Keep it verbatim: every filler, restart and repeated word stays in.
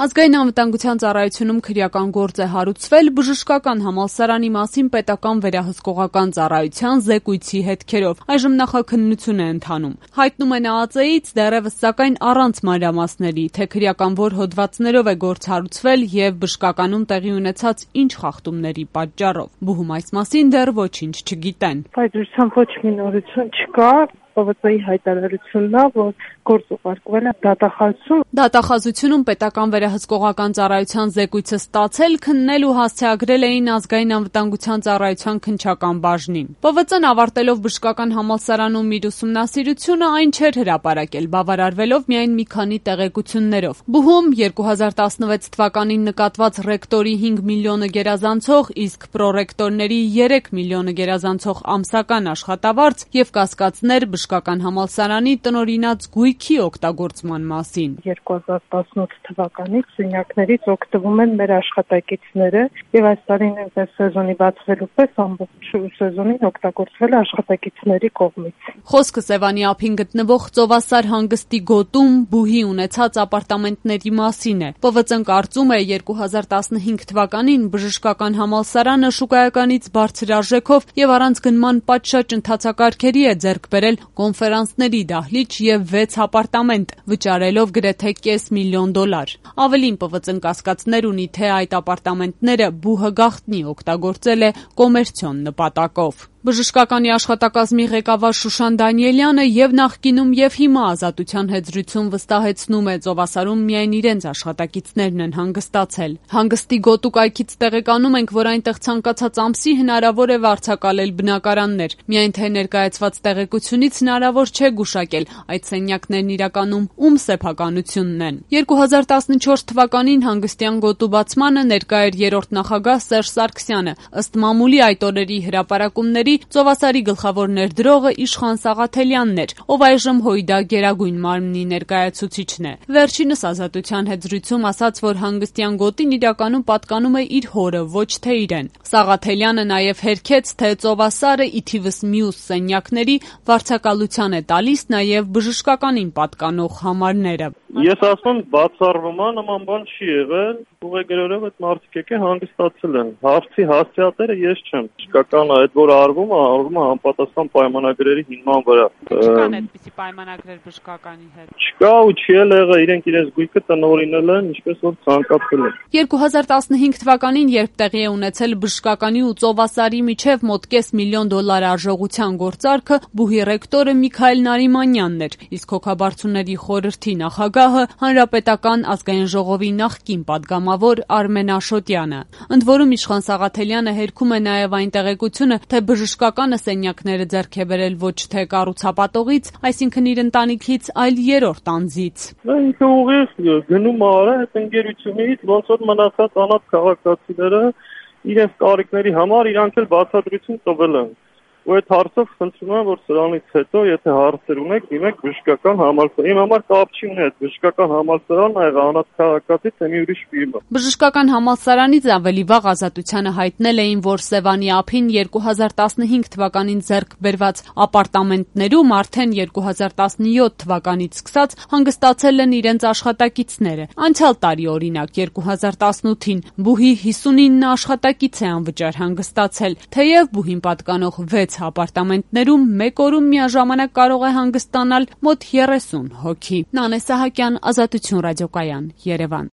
Ազգային անվտանգության ծառայությունում քրեական գործ է հարուցվել բժշկական համալսարանի մասին պետական վերահսկողական ծառայության զեկույցի հետքերով։ Այժմ նախաքննություն է ընթանում։ Հայտնում են ԱԱԾ-ից դեռևս սակայն առանց մանրամասների, թե քրեական որ հոդվածներով է գործ հարուցվել եւ բժշկականում տեղի ունեցած ինչ խախտումների պատճառով։ Բուհում այս մասին դեռ ոչինչ չգիտեն։ Բայց ոչ մի նորություն չկա։ ՊՎԾ-ի հայտարարությունն է, որ գործ ուղարկվել է դատախազություն։ Դատախազությունում պետական վերահսկողական ծառայության զեկույցը ստացել, քննել ու հասցեագրել էին ազգային անվտանգության ծառայության քննչական բաժնին։ ՊՎԾ-ն ավարտելով բժշկական համալսարանում իր ուսումնասիրությունը այն չէր հրապարակել, բավարարվելով միայն մի քանի տեղեկություններով։ Բուհում երկու հազար տասնվեց թվականին նկատված ռեկտորի հինգ միլիոնը գերազանցող, իսկ պրոռեկտորների երեք միլիոնը գերազանցող ամսական աշխատավարձ եւ կասկածներ բժշկական համալսարանի տնօրինած գույքի օգտագործման մասին։ երկու հազար տասնութ թվականից սենյակներից օգտվում են մեր աշխատակիցները եւ այս տարին նույնպես սեզոնի բացվելու պես ամբողջ սեզոնին օգտագործվել է աշխատակիցների կողմից։ Խոսքը Սևանի ափին գտնվող Ծովասար հանգստի գոտում Բուհի ունեցած ապարտամենտների մասին է։ ՊՎԾ-ն կարծում է երկու հազար տասնհինգ թվականին բժշկական համալսարանը շուկայականից բարձր արժեքով եւ առանց գնման պատշաճ ընթացակարգերի է ձեռք բերել կոնֆերանսների դահլիճ եւ վեց ապարտամենտ, վճարելով գրեթե կես միլիոն դոլար։ Ավելին ՊՎԾ-ն կասկածներ ունի, թե այդ ապարտամենտները Բուհը գաղտնի օգտագործել է կոմերցիոն նպատակով։ Բժշկականի աշխատակազմի ղեկավար Շուշան Դանիելյանը եւ նախկինում եւ հիմա Ազատության հետ զրույցում վստահեցնում է, Ծովասարում միայն իրենց աշխատակիցներն են հանգստացել։ Հանգստի գոտու կայքից տեղեկանում ենք, որ այնտեղ ցանկացած ամսի հնարավոր է վարձակալել բնակարաններ։ Միայն թե ներկայացված տեղեկությունից հնարավոր չէ գուշակել այդ սենյակներն իրականում ում սեփականությունն են։ երկու հազար տասնչորս թվականին հանգստյան գոտու բացմանը ներկա էր երրորդ նախագահ Սերժ Սարգսյանը։ Ըստ մամուլի այդ օրերի հրապարակումների Ծովասարի գլխավոր ներդրողը Իշխան Սաղաթելյանն էր, ով այժմ ՀՅԴ Գերագույն մարմնի ներկայացուցիչն է։ Վերջինս Ազատության հետ զրույցում ասաց, որ հանգստյան գոտին իրականում պատկանում է իր հորը, ոչ թե իրեն։ Սաղաթելյանը նաև հերքեց, թե Ծովասարը ի թիվս մյուս սենյակների վարձակալության է տալիս նաև բժշկականին պատկանող համարները։ Ես ասում եմ, բացառվում է, նման բան չի եղել, ուղեգրերով այդ մարդիկ եկել հանգստացել են։ Հարցի հասցեատերը ես չեմ։ Բժշկական այդ որ արվում է, արվում է համապատասխան պայմանագրերի հիման վրա։ Չկան այդպիսի պայմանագրեր բժշկականի հետ։ Չկա ու չի եղել, իրենք իրենց գույքը տնօրինել են, ինչպես որ ցանկացել են։ երկու հազար տասնհինգ թվականին, երբ տեղի է ունեցել բժշկականի ու Ծովասարի միջև մոտ կես միլիոն դոլար արժողության գործարքը, Բուհի ռեկտորը Միքայել Նարիմանյանն էր, իսկ հոգաբարձուների խորհրդի նախագահը Հանրապետական ազգային ժողովի նախկին падգամավոր Արմեն Աշոտյանը։ Ընդ որում Իշխան Սաղաթելյանը հերքում է նաև այն տեղեկությունը, թե բժշկականը սենյակները ձեռք է բերել ոչ թե կառուցապատողից, այսինքն իր ընտանիքից, այլ երրորդ անձից։ Ինքը ուղիղ գնում արա այդ ընկերությունից, ոնց որ մնացած անհատ քաղաքացիները իրենց կարիքների համար իրանք էլ բացատրություն տվել են։ Ու այդ հարցով խնդրում եմ, որ սրանից հետո, եթե հարցեր ունեք, դիմեք բժշկական համալսարան։ Իմ համար կապ չի ունի այդ բժշկական համալսարանն ա եղել անհատ քաղաքացի, թե մի ուրիշ ֆիրմա։ Բժշկական համալսարանից ավելի վաղ Ազատությանը հայտնել էին, որ Սևանի ափին երկու հազար տասնհինգ թվականին ձեռք բերված ապարտամենտներում արդեն երկու հազար տասնյոթ թվականից սկսած հանգստացել են իրենց աշխատակիցները։ Անցյալ տարի օրինակ երկու հազար տասնութին Բուհի հիսունինը աշխատակից է անվճար հանգստացել, թեև Բուհին պատկանող վեց ապարտամենտներում մեկ օրում միաժամանակ կարող է հանգստանալ մոտ երեսուն հոգի։ Նանե Սահակյան, Ազատություն ռադիոկայան, Երևան։